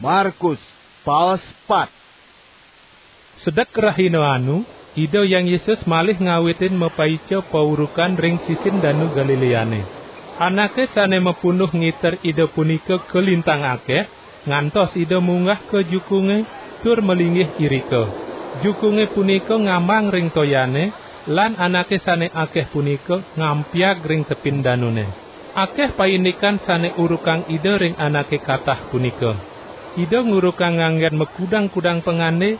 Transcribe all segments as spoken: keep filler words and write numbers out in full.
Markus, paos pat. Sedek rahina anu, Ida Hyang Yesus malih ngawitin mapaica paurukan ring sisin Danu Galileane. Anake sane mapunduh ngiter Ida punika kalintang akeh, ngantos Ida munggah ka jukunge tur malinggih irika. Jukunge punika ngambang ring toyane, lan anake sane akeh punika ngampiag ring tepin danune. Akeh paindikan sane urukang Ida ring anake katah punika. Ida ngurukang nganggen makudang-kudang pangande,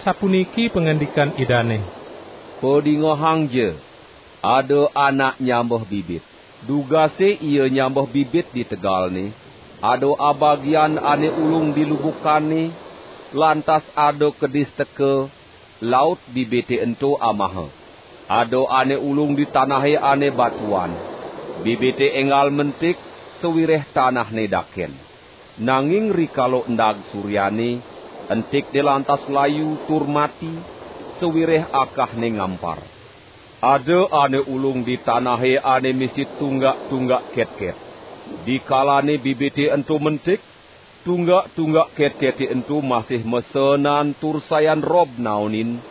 sapuniki pangandikan Idane. "Padingehangja, ada anak nyambeh bibit. Dugase ia nyambeh bibit di tegalne, ada abagian ane ulung di lubukane, lantas ada kedis teka, laut bibite ento amaha. Ada ane ulung di tanahe ane batuan. Bibite enggal mentik, sawireh tanahne daken. Nanging rikala endag suryane, entikne lantas layu tur mati, sawireh akahne ngampar. Ada ane ulung di tanahe ane misi tunggak-tunggak ketket. Dikalane bibite ento mentik, tunggak-tunggak ketkete ento masih masenan tur sayan rob naonin,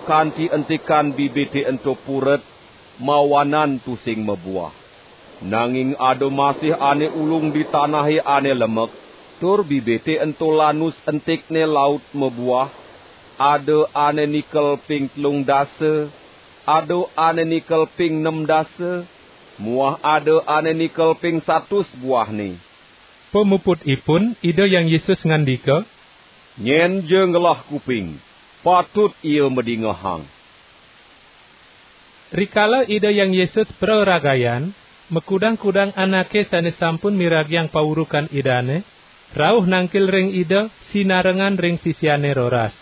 kanti entikan bibite ento puret, mawanan tusing mabuah. Nanging ada masih ane ulung di tanahe ane lemek, tur bibite ento lanus entikne laut mabuah, ada ane nikel ping telung dasa, ada ane nikel ping nem dasa, muah ada ane nikel ping satus buahne." Pamuputipun, Ida Hyang Yesus ngandika, "Nyen ja ngelah kuping, patut ia madingehang." Rikala Ida Hyang Yesus praragayan, makudang-kudang anake sane sampun miragiang paurukan Idane, rauh nangkil ring Ida, sinarengan ring sisiane roras.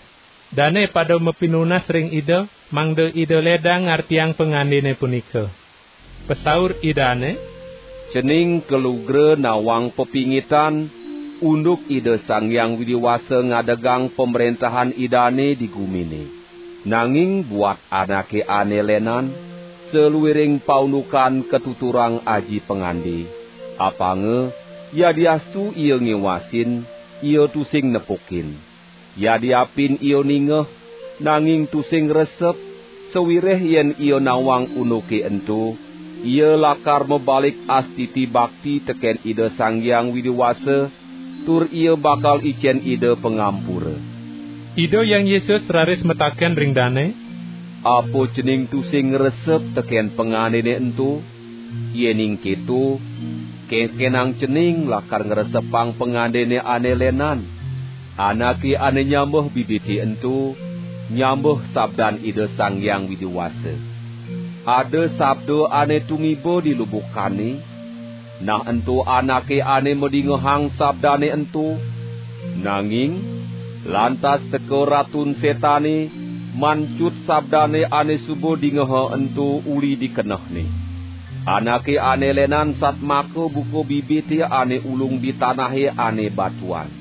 Dane pada mapinunas ring Ida, mangda Ida ledang ngartiang pangandene punika. Pasaur Idane, "Cening kalugra nawang pepingitan, unduk Ida Sang Hyang Widi Wasa ngadegang pamrentahan Idane di gumine. Nanging buat anake ane lenan, saluiring paundukan katuturang aji pangande, apanga yadiastu ia ngiwasin, ia tusing nepukin. Yadiapin ia ningeh, nanging tusing ngresep, sawireh yen ia nawang unduke ento, ia lakar mabalik astiti bakti teken Ida Sang Hyang Widi Wasa, tur ia bakal icen Ida pangampura." Ida Hyang Yesus raris mataken ring dane, "Apa cening tusing ngresep teken pangandene ento? Yening keto, kenkenang cening lakar ngresepang pangandene ane lenan. Anake ane nyambeh bibite ento, nyambeh sabdan Ida Sang Hyang Widi Wasa. Ada sabda ane tumiba di lubukane, nah ento anake ane madingehang sabdane ento. Nanging, lantas teka Ratun Setane, mancut sabdane ane suba dingeha ento uli di kenehne. Anake ane lenan satmaka buka bibite ane ulung di tanahe ane batuan.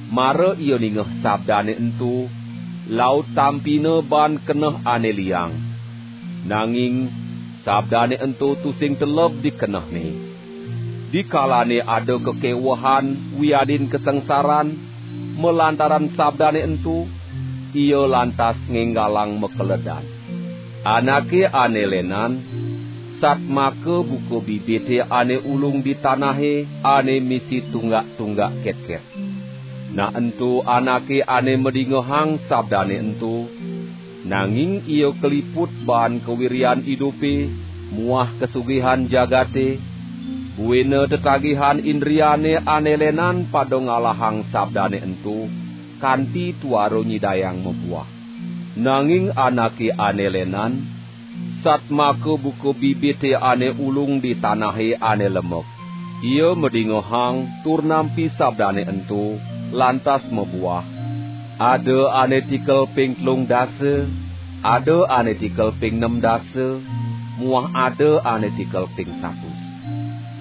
Mara ia ningeh sabdane ento, laut tampina baan keneh ane liang. Nanging, sabdane ento tusing teleb di kenehne. Dikalane ada kakewehan wiadin kasangsaran malantaran sabdane ento, ia lantas ngenggalang makeledan. Anake ane lenan, satmaka buka bibite ane ulung di tanahe ane misi tunggak-tunggak ketket. Nah ento anake ane madingehang sabdane ento, nanging ia kaliput baan kawiryan idupe muah kasugihan jagate, buina tetagihan indriane ane lenan pada ngalahang sabdane ento, kanti tuara nyidayang mabuah. Nanging anake ane lenan, satmaka buka bibite ane ulung di tanahe ane lemek. Ia madingehang tur nampi sabdane ento, lantas mabuah. Ada ane tikel ping telung dasa, ada ane tikel ping nem dasa, muah ada ane tikel ping satus.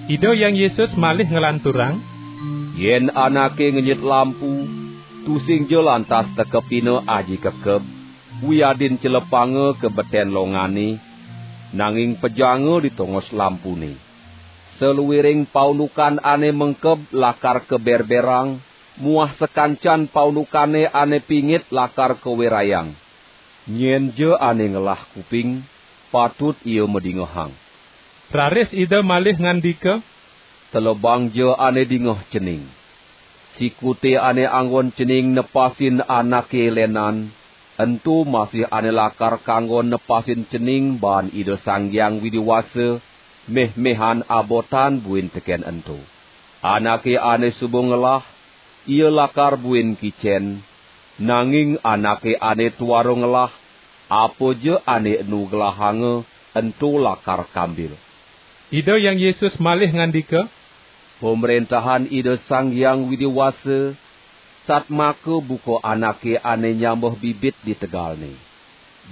Ida Hyang Yesus malih nglanturang, "Yen anake ngenyit lampu, tusingja lantas tekepina aji kekeb, wiadin celepanga ka beten longane, nanging pejanga di tongos lampune. Saluiring paundukan ane mengkeb lakar kaberberang, muah sakancan paundukane ane pingit lakar kawirayang. Nyenja ane ngelah kuping, patut ia madingehang." Raris Ida malih ngandika, "Telebangja ane dingeh cening. Sikute ane anggon cening nepasin anake lenan, ento masih ane lakar kanggon nepasin cening baan Ida Sang Hyang Widi Wasa, meh-mehan abotan buin teken ento. Anake ane suba ngelah, ia lakar buin kicen, nanging anake ane tuara ngelah, apaja ane enu gelahanga, ento lakar kambil." Ida Hyang Yesus malih ngandika, "Pamrentahan Ida Sang Hyang Widi Wasa satmaka buka anake ane nyambeh bibit di tegalne.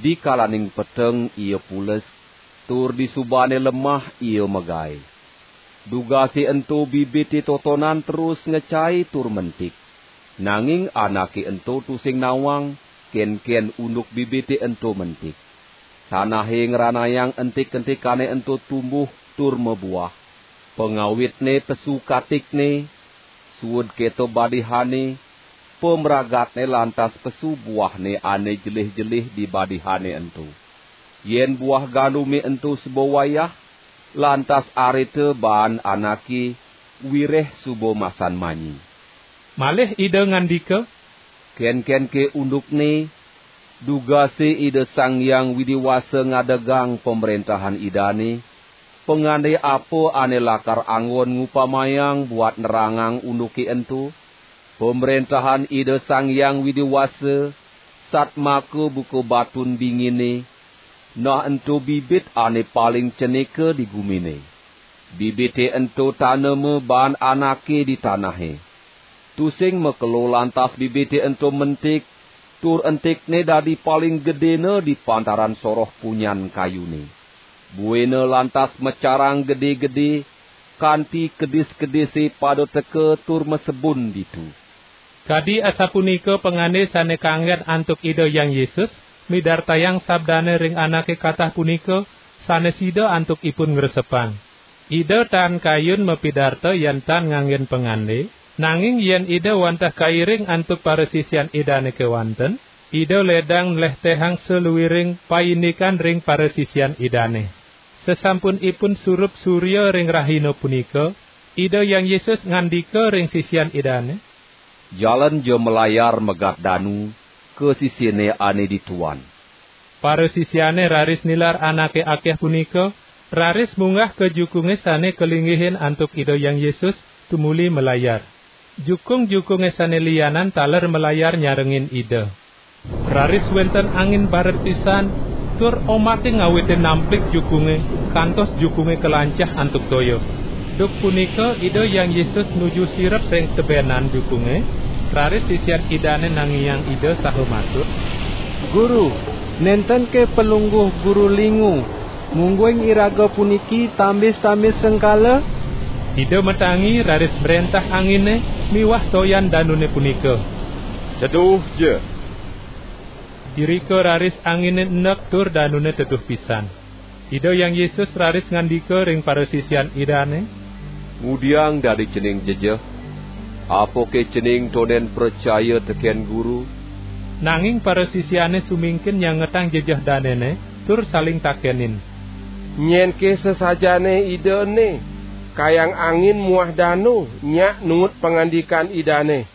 Dikalaning peteng ia pules, tur disubane lemah ia magae. Dugase ento bibite totonan terus ngecai tur mentik. Nanging anake ento tusing nawang, kenken unduk bibite ento mentik. Tanahe ngranayang entik-entikane ento tumbuh tur mabuah. Pangawitne pesu katikne, suud keto badihane, pamragatne lantas pesu buahne ane jelih-jelih di badihane ento. Yen buah gandume ento suba wayah, lantas arita baan anake wireh suba masan manyi." Malih Ida ngandika, "Kenkenke undukne, dugase Ida Sang Hyang Widi Wasa ngadegang Pamrentahan Idane, pangande apa ane lakar anggon ngupamayang buat nerangang unduke ento? Pamrentahan Ida Sang Hyang Widi Wasa satmaka buka batun bingine, nah ento bibit ane paling cenika di gumine. Bibite ento tanema baan anake di tanahe. Tusing makelo lantas bibite ento mentik, tur entikne dadi paling gedena di pantaran soroh punyan kayune. Buina lantas macarang gede-gede, kanti kedis-kedise pada teka tur masebun ditu." Kadi asapunika pangande sane kanggen antuk Ida Hyang Yesus, midartayang sabdane ring anake katah punika, sane sida antuk ipun ngresepang. Ida tan kayun mapidarta yen tan nganggen pangande, nanging yen Ida wantah kairing antuk parasisian Idane kewanten, Ida ledang nlehtehang saluiring paindikan ring parasisian Idane. Sasampun ipun surup surya ring rahina punika, Ida Hyang Yesus ngandika ring sisian Idane, "Jalenja malayar megat danu ka sisine ane dituan." Parasisiane raris nilar anake akeh punika, raris munggah ka jukunge sane kalinggihin antuk Ida Hyang Yesus, tumuli malayar. Jukung-jukunge sane lianan taler malayar nyarengin Ida. Raris wenten angin baret pisan, tur omake ngawitin namplik jukunge, kantos jukunge kalancah antuk toya. Duk punika Ida Hyang Yesus nuju sirep ring tebenan jukunge, raris sisian Idane nangiang Ida saha matur, "Guru, nenten ke Palungguh Guru lingu, mungguing iraga puniki tambis-tambis sengkala?" Ida matangi raris mrentah angine miwah toyan danune punika, "Teduhja!" Irika raris angine endek tur danune teduh pisan. Ida Hyang Yesus raris ngandika ring parasisian Idane, "Ngudiang dadi cening jejeh? Apake cening tonden pracaya teken Guru?" Nanging parasisiane sumingkin nyangetang jejeh danene, tur saling takenin, "Nyenke sasajaane Ida ene, kayang angin muah danu nyak nuut pangandikan Idane?"